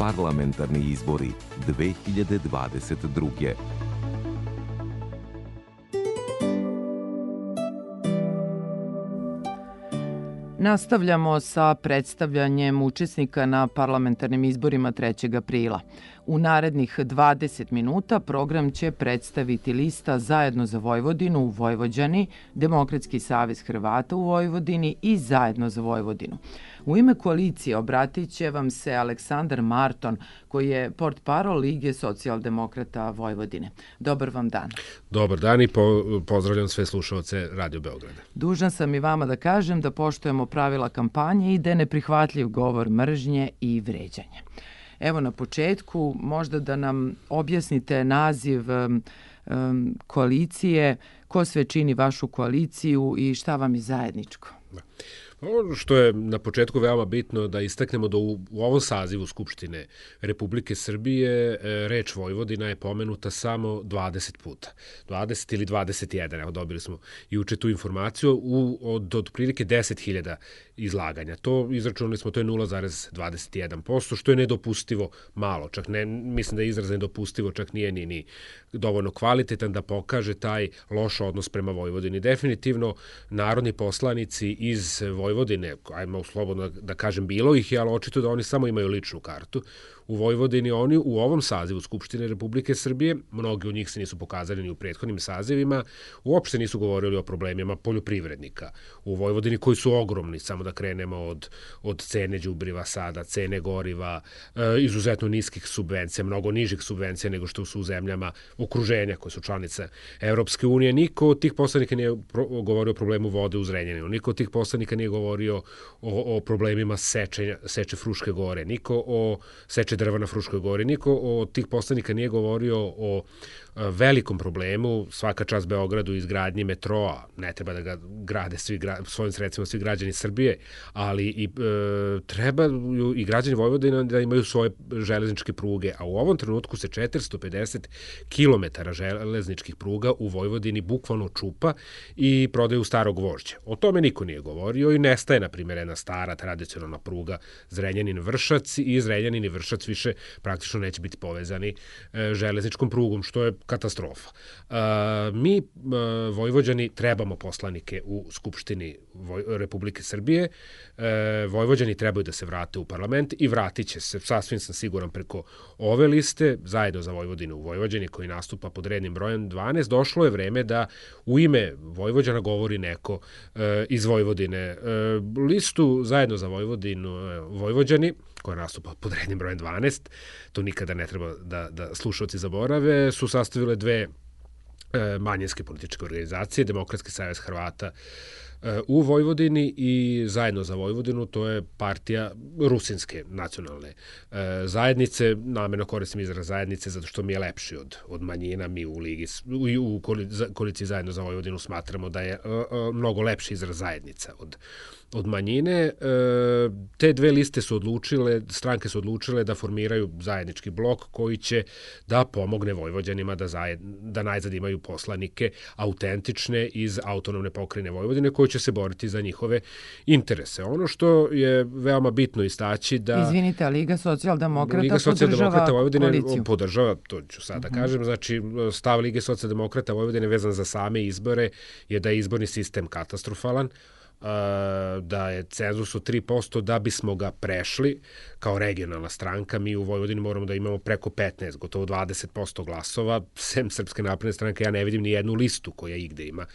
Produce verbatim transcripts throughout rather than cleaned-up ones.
Parlamentarni izbori dve hiljade dvadeset druge. Nastavljamo sa predstavljanjem učesnika na parlamentarnim izborima trećeg aprila. U narednih dvadeset minuta program će predstaviti lista Zajedno za Vojvodinu u Vojvođani, Demokratski savez Hrvata u Vojvodini i Zajedno za Vojvodinu. U ime koalicije obratit će vam se Aleksandar Marton, koji je portparol Lige socijaldemokrata Vojvodine. Dobar vam dan. Dobar dan i po, pozdravljam sve slušalce Radio Beograda. Dužan sam i vama da kažem da poštujemo pravila kampanje i da je neprihvatljiv govor mržnje i vređanje. Evo na početku možda da nam objasnite naziv um, um, koalicije, ko sve čini vašu koaliciju i šta vam je zajedničko. Da. Ono što je na početku veoma bitno da istaknemo da u, u ovom sazivu Skupštine Republike Srbije reč Vojvodina je pomenuta samo dvadeset puta. dvadeset ili dvadeset jedan, evo dobili smo juče tu informaciju, u, od otprilike deset hiljada izlaganja. To izračunali smo, to je nula zarez dvadeset jedan posto, što je nedopustivo malo. Čak ne, mislim da je izraz nedopustivo, čak nije ni, ni dovoljno kvalitetan da pokaže taj loš odnos prema Vojvodini. Definitivno narodni poslanici iz Vojvodine, ajmo slobodno da kažem bilo ih je, ali očito da oni samo imaju ličnu kartu. U Vojvodini oni u ovom sazivu Skupštine Republike Srbije, mnogi od njih se nisu pokazali ni u prethodnim sazivima, uopšte nisu govorili o problemima poljoprivrednika u Vojvodini koji su ogromni, samo da krenemo od, od cene đubriva sada, cene goriva, e, izuzetno niskih subvencija, mnogo nižih subvencija nego što su u zemljama okruženja koje su članice Evropske unije. Niko od tih poslanika nije pro, govorio o problemu vode u Zrenjaninu, niko od tih poslanika nije govorio o, o problemima seče, seče Fruške gore, niko o seče drva na Fruškoj gori. Niko od tih poslanika nije govorio o velikom problemu, svaka čast Beogradu, izgradnji metroa, ne treba da ga grade svi, svojim sredstvima svi građani Srbije, ali i e, trebaju i građani Vojvodina da imaju svoje železničke pruge, a u ovom trenutku se četiristo pedeset kilometara železničkih pruga u Vojvodini bukvalno čupa i prodaju starog vožđa. O tome niko nije govorio i nestaje, na primjer, jedna stara tradicionalna pruga Zrenjanin-Vršac i Zrenjanin i Vršac više praktično neće biti povezani e, železničkom prugom, što je katastrofa. E, mi, e, Vojvođani, trebamo poslanike u Skupštini Voj, Republike Srbije. E, Vojvođani trebaju da se vrate u parlament i vratit će se, sasvim sam siguran, preko ove liste, Zajedno za Vojvodinu u Vojvođani, koji nastupa pod rednim brojem dvanaest. Došlo je vreme da u ime Vojvođana govori neko e, iz Vojvodine. E, listu Zajedno za Vojvodinu e, Vojvođani, koja nastupa pod rednim brojem dvanaest, to nikada ne treba da, da slušalci zaborave, su sastavile dve e, manjinske političke organizacije, Demokratski savez Hrvata e, u Vojvodini i Zajedno za Vojvodinu, to je partija rusinske nacionalne e, zajednice, namerno koristim izraz zajednice zato što mi je lepši od, od manjina, mi u Ligi, u, u koaliciji Zajedno za Vojvodinu smatramo da je e, e, mnogo lepši izraz zajednica od od manjine. Te dve liste su odlučile, stranke su odlučile da formiraju zajednički blok koji će da pomogne Vojvođanima da, zajed, da najzad imaju poslanike autentične iz autonomne pokrajine Vojvodine koji će se boriti za njihove interese. Ono što je veoma bitno istaći da... Izvinite, Liga socijaldemokrata Liga socijaldemokrata Vojvodine koaliciju. podržava, to ću sada uh-huh. kažem, znači stav Lige socijaldemokrata Vojvodine vezan za same izbore je da je izborni sistem katastrofalan, da je cenzus od tri posto, da bismo ga prešli kao regionalna stranka. Mi u Vojvodini moramo da imamo preko petnaest, gotovo dvadeset posto glasova. Sem Srpske napredne stranke, ja ne vidim ni jednu listu koja igde ima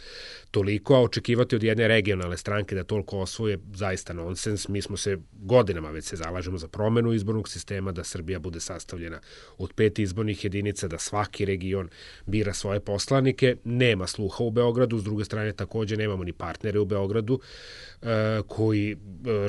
toliko, a očekivati od jedne regionalne stranke da toliko osvoje zaista nonsens. Mi smo se godinama već se zalažemo za promenu izbornog sistema, da Srbija bude sastavljena od pet izbornih jedinica, da svaki region bira svoje poslanike. Nema sluha u Beogradu, s druge strane takođe nemamo ni partnere u Beogradu koji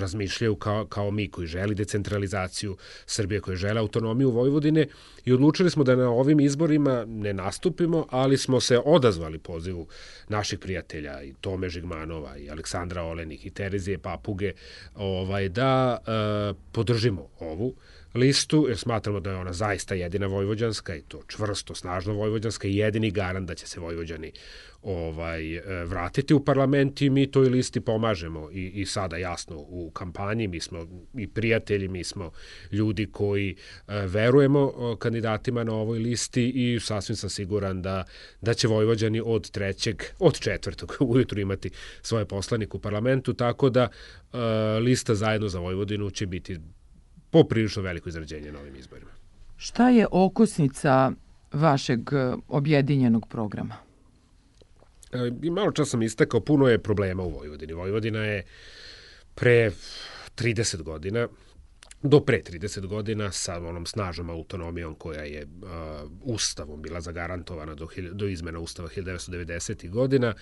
razmišljaju kao, kao mi, koji želi decentralizaciju Srbije, koji žele autonomiju Vojvodine, i odlučili smo da na ovim izborima ne nastupimo, ali smo se odazvali pozivu naših prijatelja i Tome Žigmanova i Aleksandra Olenih i Terezije Papuge ovaj, da e, podržimo ovu listu, jer smatramo da je ona zaista jedina vojvođanska i to čvrsto, snažno vojvođanska i jedini garant da će se Vojvođani ovaj vratiti u parlament i mi toj listi pomažemo i, i sada jasno u kampanji, mi smo i prijatelji, mi smo ljudi koji e, verujemo kandidatima na ovoj listi i sasvim sam siguran da, da će Vojvođani od trećeg, od četvrtog ujutru imati svoje poslanike u parlamentu, tako da e, lista Zajedno za Vojvodinu će biti poprilično veliko izrađenje na ovim izborima. Šta je okosnica vašeg objedinjenog programa? I malo čas sam istakao, puno je problema u Vojvodini. Vojvodina je pre trideset godina, do pre trideset godina sa onom snažnom autonomijom koja je uh, ustavom bila zagarantovana do, do izmena ustava hiljadu devetsto devedesetih godina,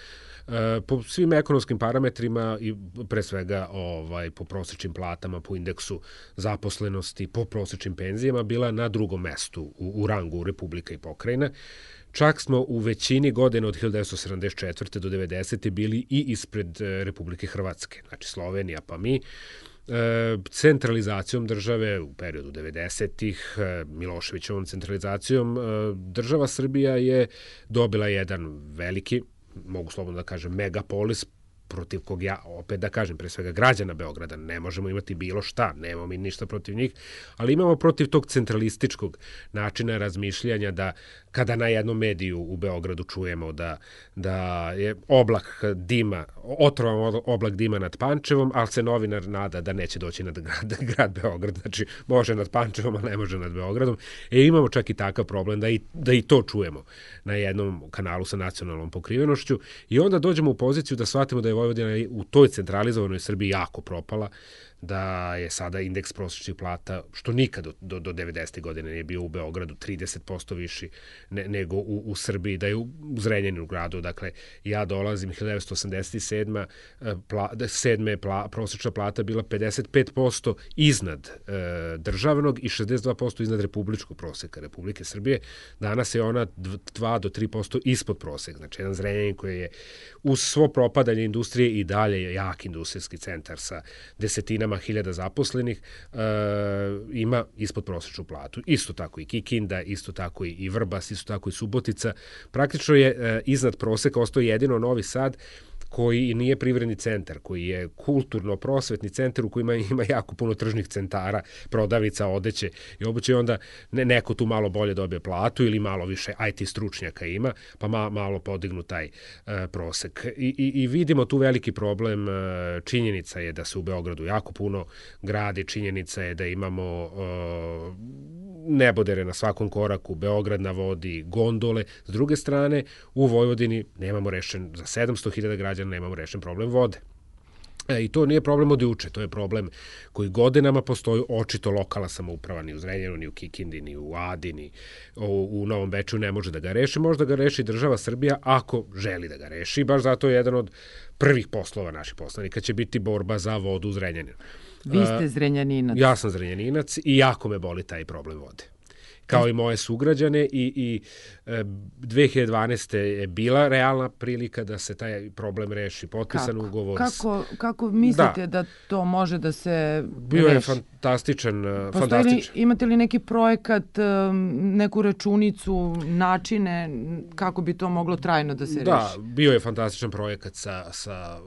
uh, po svim ekonomskim parametrima i pre svega ovaj, po prosečnim platama, po indeksu zaposlenosti, po prosečnim penzijama bila na drugom mestu u, u rangu Republika i pokrajina. Čak smo u većini godina od hiljadu devetsto sedamdeset četvrte do devedesete bili i ispred Republike Hrvatske, znači Slovenija pa mi. Centralizacijom države u periodu devedesetih, Miloševićevom centralizacijom, država Srbija je dobila jedan veliki, mogu slobodno da kažem, megapolis, protiv kog ja, opet da kažem, pre svega građana Beograda, ne možemo imati bilo šta, nemamo mi ništa protiv njih, ali imamo protiv tog centralističkog načina razmišljanja da kada na jednom mediju u Beogradu čujemo da, da je oblak dima, otrovan oblak dima nad Pančevom, ali se novinar nada da neće doći nad grad, grad Beograd, znači može nad Pančevom, a ne može nad Beogradom. E imamo čak i takav problem da i, da i to čujemo na jednom kanalu sa nacionalnom pokrivenošću i onda dođemo u poziciju da shvatimo da je Vojvodina u toj centralizovanoj Srbiji jako propala, da je sada indeks prosječnih plata, što nikad do, do, do devedesetih godine nije bio u Beogradu, trideset posto viši ne, nego u, u Srbiji, da je u Zrenjaninu gradu, dakle, ja dolazim hiljadu devetsto osamdeset sedme. Pla, sedme pla, prosječna plata bila pedeset pet posto iznad e, državnog i šezdeset dva posto iznad republičkog proseka Republike Srbije. Danas je ona dva do tri posto ispod proseka, znači jedan Zrenjanin koji je uz svo propadanje industrije i dalje jak industrijski centar sa desetinama hiljada zaposlenih, e, ima ispod prosječnu platu. Isto tako i Kikinda, isto tako i Vrbas, isto tako i Subotica. Praktično je e, iznad proseka ostao jedino Novi Sad, koji nije privredni centar, koji je kulturno-prosvetni centar u kojima ima jako puno tržnih centara, prodavnica, odeće i obuće, onda ne, neko tu malo bolje dobije platu ili malo više I T stručnjaka ima, pa ma, malo podignu taj uh, prosek. I, i, I vidimo tu veliki problem. Činjenica je da se u Beogradu jako puno gradi, činjenica je da imamo uh, nebodere na svakom koraku, Beograd na vodi, gondole. S druge strane, u Vojvodini nemamo rešen, za sedamsto hiljada građana nemamo rešen problem vode. E, I to nije problem od juče, to je problem koji godinama postoji, očito lokalna samouprava ni u Zrenjaninu, ni u Kikindi, ni u Adi, ni u, u Novom Beču ne može da ga reši, možda ga reši država Srbija ako želi da ga reši, baš zato je jedan od prvih poslova naših poslanika će biti borba za vodu u Zrenjaninu. Vi ste Zrenjaninac. Ja sam Zrenjaninac i jako me boli taj problem vode. Kao i moje sugrađane i, i dve hiljade dvanaeste. je bila realna prilika da se taj problem reši, potpisan kako? ugovor. Kako, kako mislite da. da to može da se Bio reši? je fantastičan. Postoji fantastičan. Li, imate li neki projekat, neku računicu, načine kako bi to moglo trajno da se reši? Da, bio je fantastičan projekat sa, sa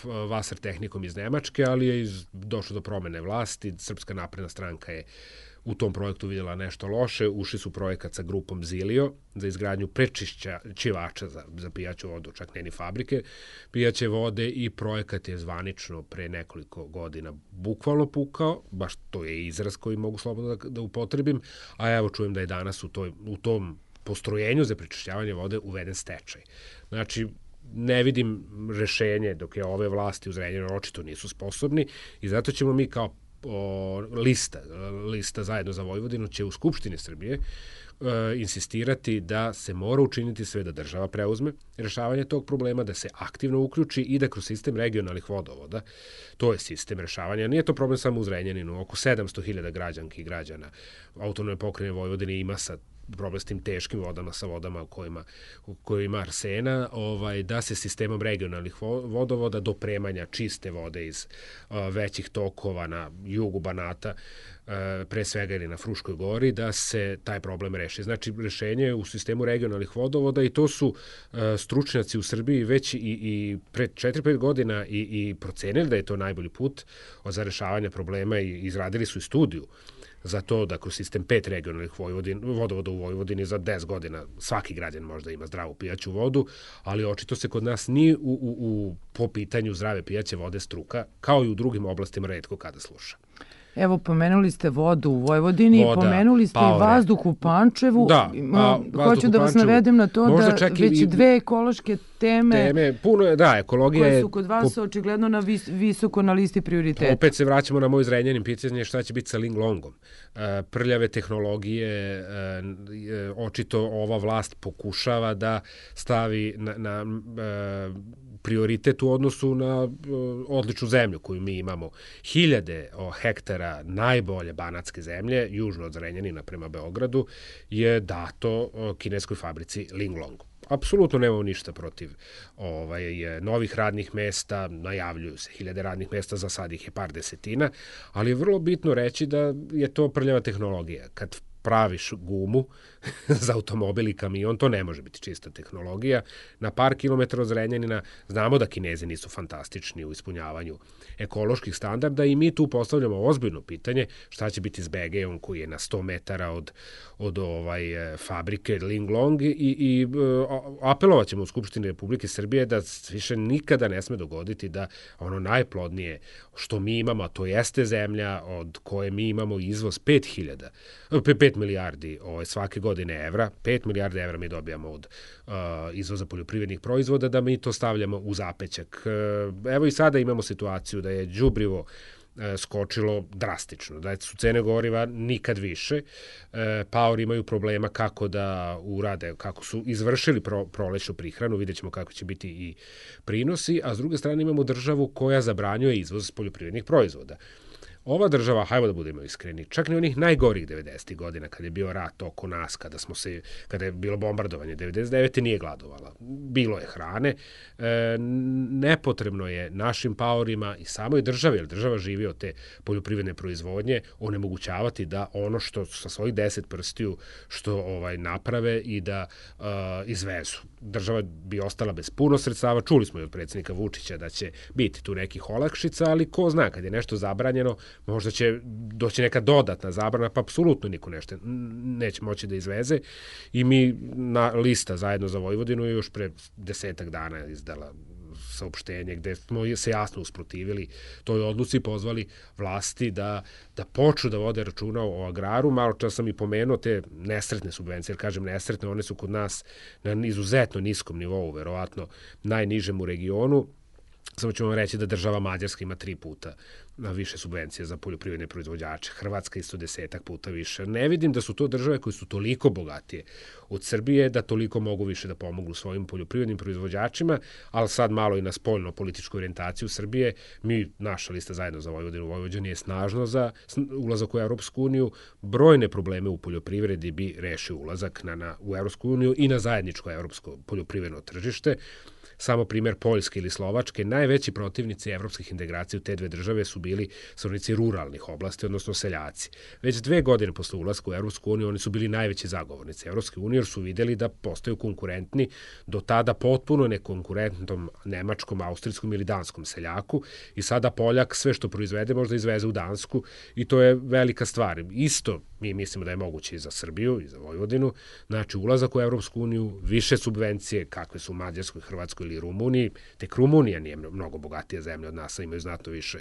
Wasser tehnikom iz Nemačke, ali je iz, došlo do promene vlasti. Srpska napredna stranka je u tom projektu vidjela nešto loše, ušli su projekat sa grupom Zilio za izgradnju prečišćivača za, za pijaću vodu, čak ne ni fabrike pijaće vode i projekat je zvanično pre nekoliko godina bukvalno pukao, baš to je izraz koji mogu slobodno da, da upotrebim, a evo čujem da je danas u, toj, u tom postrojenju za prečišćavanje vode uveden stečaj. Znači, ne vidim rešenje dok je ove vlasti u Zrenjaninu očito nisu sposobni i zato ćemo mi kao O, lista, lista Zajedno za Vojvodinu će u Skupštini Srbije e, insistirati da se mora učiniti sve da država preuzme rešavanje tog problema, da se aktivno uključi i da kroz sistem regionalnih vodovoda, to je sistem rešavanja, nije to problem samo u Zrenjaninu, oko sedamsto hiljada građanki i građana autonomne pokrajine Vojvodine ima sa problem s tim teškim vodama, sa vodama u kojima, u kojima arsena, ovaj, da se sistemom regionalnih vodovoda dopremanja čiste vode iz uh, većih tokova na jugu Banata pre svega ili na Fruškoj gori, da se taj problem reši. Znači, rešenje je u sistemu regionalnih vodovoda i to su stručnjaci u Srbiji već i, i pre četiri pet godina i, i procenili da je to najbolji put za rešavanje problema i izradili su i studiju za to da kroz sistem pet regionalnih vodovoda u Vojvodini za deset godina svaki građan možda ima zdravu pijaću vodu, ali očito se kod nas ni u, u, u, po pitanju zdrave pijaće vode struka, kao i u drugim oblastima, retko kada sluša. Evo, pomenuli ste vodu u Vojvodini, Voda, pomenuli ste paore. i vazduh u Pančevu. Da, a, Hoću da vas navedem na to da već i, dve ekološke teme, teme puno je, da, ekologija koje su kod vas po, očigledno na vis, visoko na listi prioriteta. Opet se vraćamo na moj Zrenjanin, pitanje šta će biti sa Linglongom. Prljave tehnologije, očito ova vlast pokušava da stavi na, na prioritet u odnosu na odličnu zemlju koju mi imamo. Hiljade hektara najbolje banatske zemlje, južno od Zrenjanina prema Beogradu, je dato kineskoj fabrici Linglong. Apsolutno nemamo ništa protiv ovaj, novih radnih mesta, najavljuju se hiljade radnih mesta, za sad ih je par desetina, ali je vrlo bitno reći da je to prljava tehnologija. Kad praviš gumu za automobil i kamion, to ne može biti čista tehnologija. Na par kilometara od Zrenjanina znamo da Kinezi nisu fantastični u ispunjavanju ekoloških standarda i mi tu postavljamo ozbiljno pitanje šta će biti s B G om koji je na sto metara od, od ovaj, fabrike Linglong i, i apelovat ćemo u Skupštini Republike Srbije da više nikada ne sme dogoditi da ono najplodnije što mi imamo, a to jeste zemlja od koje mi imamo izvoz pet hiljada, pet milijardi ovaj, svake godine evra, pet milijardi evra mi dobijamo od uh, izvoza poljoprivrednih proizvoda, da mi to stavljamo u zapećak. Uh, evo i sada imamo situaciju da je đubrivo uh, skočilo drastično, da su cene goriva nikad više, uh, paori imaju problema kako da urade, kako su izvršili pro, prolećnu prihranu, vidjet ćemo kako će biti i prinosi, a s druge strane imamo državu koja zabranjuje izvoz poljoprivrednih proizvoda. Ova država, hajmo da budemo iskreni, čak ni onih najgorih devedesetih godina, kada je bio rat oko nas, kada smo se, kada je bilo bombardovanje, devedeset devete nije gladovala. Bilo je hrane. E, nepotrebno je našim paorima i samoj državi, jer država živi od te poljoprivredne proizvodnje, onemogućavati da ono što sa svojih deset prstiju što ovaj naprave i da uh, izvezu. Država bi ostala bez puno sredstava. Čuli smo i od predsjednika Vučića da će biti tu nekih olakšica, ali ko zna, kad je nešto zabranjeno, možda će doći neka dodatna zabrana, pa apsolutno niko nešto neće moći da izveze. I mi na lista zajedno za Vojvodinu još pre desetak dana izdala saopštenje gde smo se jasno usprotivili toj odluci i pozvali vlasti da, da počnu da vode računa o agraru. Malo čas sam i pomenuo te nesretne subvencije, jer kažem nesretne, one su kod nas na izuzetno niskom nivou, verovatno najnižem u regionu. Samo ću vam reći da država Mađarska ima tri puta više subvencije za poljoprivredne proizvođače, Hrvatska isto desetak puta više. Ne vidim da su to države koje su toliko bogatije od Srbije, da toliko mogu više da pomognu svojim poljoprivrednim proizvođačima, ali sad malo i na spoljno političku orijentaciju Srbije. Mi, naša lista zajedno za Vojvodinu, Vojvođani je snažno za ulazak u Evropsku uniju. Brojne probleme u poljoprivredi bi rešio ulazak na, na, u Evropsku uniju i na zajedničko evropsko poljoprivredno tržište. Samo primjer Poljske ili Slovačke, najveći protivnici evropskih integracija u te dve države su bili stanovnici ruralnih oblasti, odnosno seljaci. Već dve godine posle ulaska u Evropsku uniju oni su bili najveći zagovornici Evropske unije, jer su videli da postaju konkurentni do tada potpuno nekonkurentnom nemačkom, austrijskom ili danskom seljaku i sada Poljak sve što proizvede možda izveze u Dansku i to je velika stvar. Isto mi mislimo da je moguće i za Srbiju i za Vojvodinu, znači ulazak u Evropsku uniju, više subvencije kakve su u Mađarskoj, Hrvatskoj ili Rumuniji, tek Rumunija nije mnogo bogatija zemlja od nas, imaju znatno više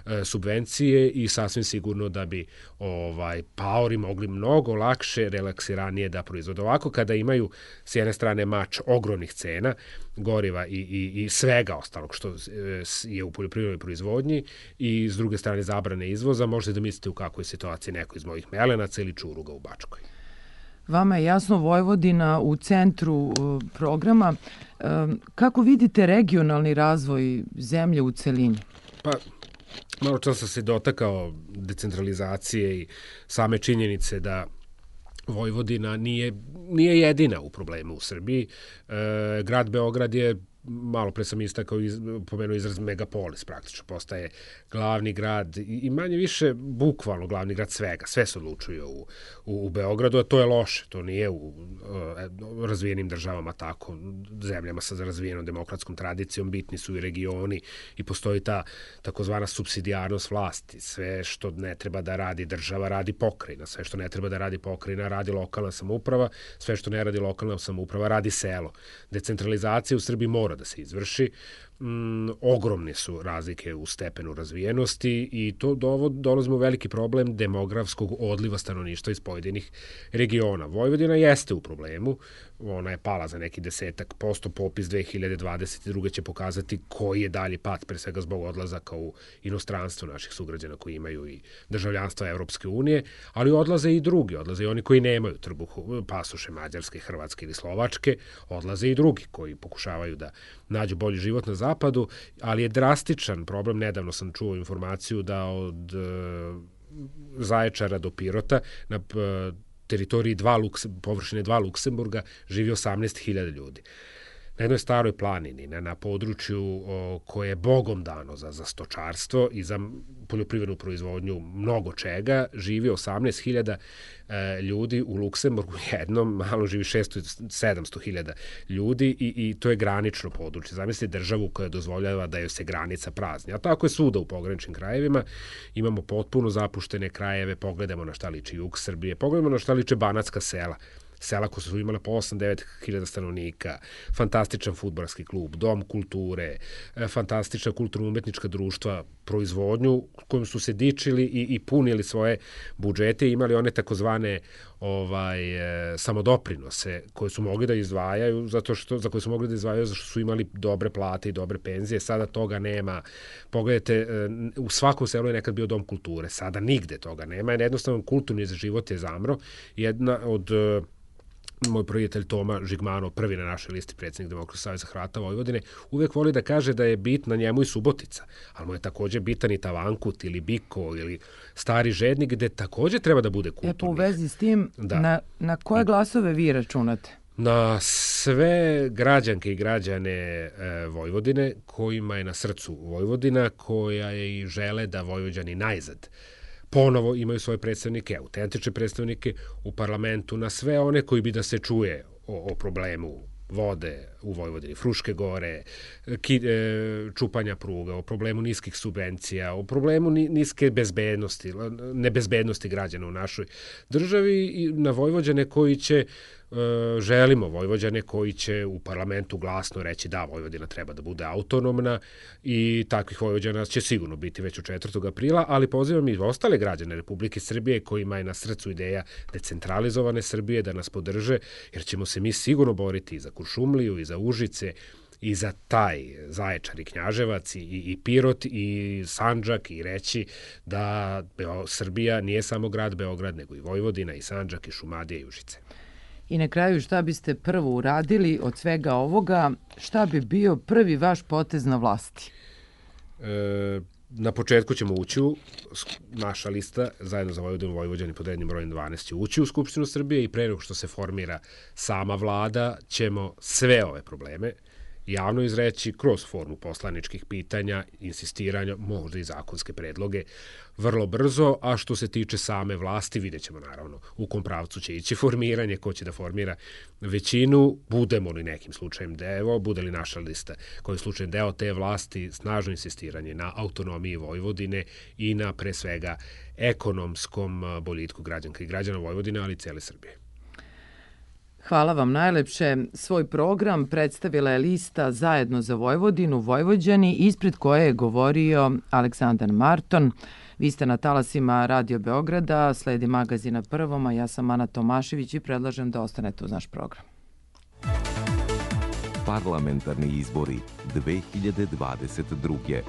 e, subvencije i sasvim sigurno da bi ovaj paori mogli mnogo lakše, relaksiranije da proizvode. Ovako kada imaju s jedne strane mač ogromnih cena, goriva i, i, i svega ostalog što je u poljoprivrednoj proizvodnji i s druge strane zabrane izvoza, možete da mislite u kakvoj situaciji neko iz mojih Melenaca ili Čuruga u Bačkoj. Vama je jasno Vojvodina u centru uh, programa. Uh, kako vidite regionalni razvoj zemlje u celini? Pa, malo čas sam se dotakao decentralizacije i same činjenice da Vojvodina nije, nije jedina u problemu u Srbiji. E, grad Beograd je malo pre sam istakao, iz, pomenuo izraz megapolis, praktično postaje glavni grad i, i manje više bukvalno glavni grad svega, sve se odlučuje u, u, u Beogradu, a to je loše, to nije u uh, razvijenim državama tako, zemljama sa razvijenom demokratskom tradicijom, bitni su i regioni i postoji ta takozvana supsidijarnost vlasti, sve što ne treba da radi država, radi pokrajina, sve što ne treba da radi pokrajina, radi lokalna samouprava, sve što ne radi lokalna samouprava, radi selo. Decentralizacija u Srbiji mora da se izvrši. Mm, ogromne su razlike u stepenu razvijenosti i to dovod, dolazimo u veliki problem demografskog odliva stanovništva iz pojedinih regiona. Vojvodina jeste u problemu, ona je pala za neki desetak posto, popis dve hiljade dvadeset druge će pokazati koji je dalji pad, pre svega zbog odlazaka u inostranstvo naših sugrađana koji imaju i državljanstva Evropske unije, ali odlaze i drugi, odlaze i oni koji nemaju trbuhu, pasoše Mađarske, Hrvatske ili Slovačke, odlaze i drugi koji pokušavaju da nađu bolji život na zapadu, ali je drastičan problem. Nedavno sam čuo informaciju da od uh, Zaječara do Pirota na uh, teritoriji dva Lukse, površine dva Luksemburga živi osamnaest hiljada ljudi. Na jednoj staroj planini, na, na području o, koje je Bogom dano za, za stočarstvo i za poljoprivrednu proizvodnju mnogo čega, živi osamnaest hiljada e, ljudi, u Luksemburgu jednom, malo živi šesto sedamsto hiljada ljudi i, i to je granično područje. Zamislite državu koja dozvoljava da joj se granica prazni. A tako je svuda u pograničnim krajevima. Imamo potpuno zapuštene krajeve, pogledamo na šta liči jug Srbije, pogledamo na šta liče banatska sela. Sela koja su imala po osam do devet hiljada stanovnika, fantastičan fudbalski klub, dom kulture, fantastična kulturno-umetnička društva, proizvodnju kojom su se dičili i, i punili svoje budžete i imali one takozvane ovaj, e, samodoprinose koje su mogli da izdvajaju zato što, za koje su mogli da izdvajaju zato što su imali dobre plate i dobre penzije. Sada toga nema. Pogledajte, e, u svakom selu je nekad bio dom kulture, sada nigde toga nema. Jednostavno kulturni život je zamro. Jedna od e, moj prijatelj Toma Žigmanov, prvi na našoj listi predsjednik Demokratskog saveza Hrvata Vojvodine, uvek voli da kaže da je bitna njemu i Subotica, ali mu je takođe bitan i Tavankut ili Biko ili Stari Žednik, gde takođe treba da bude kulturnih. E, po vezi s tim, da. na, na koje glasove vi računate? Na sve građanke i građane e, Vojvodine, kojima je na srcu Vojvodina, koja je i žele da Vojvođani najzad ponovo imaju svoje predstavnike, autentične predstavnike u parlamentu, na sve one koji bi da se čuje o, o problemu vode u Vojvodini, Fruške gore, ki, e, čupanja pruga, o problemu niskih subvencija, o problemu ni, niske bezbednosti, nebezbednosti građana u našoj državi i na Vojvođane koji će želimo Vojvođane koji će u parlamentu glasno reći da Vojvodina treba da bude autonomna i takvih Vojvođana će sigurno biti već od četvrtog aprila, ali pozivam i ostale građane Republike Srbije kojima je na srcu ideja decentralizovane Srbije da nas podrže, jer ćemo se mi sigurno boriti i za Kuršumliju i za Užice i za taj Zaječar i Knjaževac i, i Pirot i Sandžak i reći da Beo, Srbija nije samo grad Beograd, nego i Vojvodina i Sandžak i Šumadija i Užice. I na kraju, šta biste prvo uradili od svega ovoga? Šta bi bio prvi vaš potez na vlasti? E, na početku ćemo ući u naša lista, zajedno za Vojvodinu Vojvođani pod rednim brojem dvanaest će ući u Skupštinu Srbije i pre nego što se formira sama vlada ćemo sve ove probleme javno izreći kroz formu poslaničkih pitanja, insistiranja, možda i zakonske predloge, vrlo brzo, a što se tiče same vlasti, vidjet ćemo naravno u kom pravcu će ići formiranje, ko će da formira većinu, budemo li nekim slučajem deo, bude li naša lista koji je slučajem deo te vlasti, snažno insistiranje na autonomiji Vojvodine i na pre svega ekonomskom boljitku građanka i građana Vojvodine, ali i cele Srbije. Hvala vam najlepše. Svoj program predstavila je lista Zajedno za Vojvodinu, Vojvođani, ispred koje je govorio Aleksandar Marton. Vi ste na talasima Radio Beograda, sledi magazina Prvom, a ja sam Ana Tomašević i predlažem da ostanete uz naš program. Parlamentarni izbori dve hiljade dvadeset druge.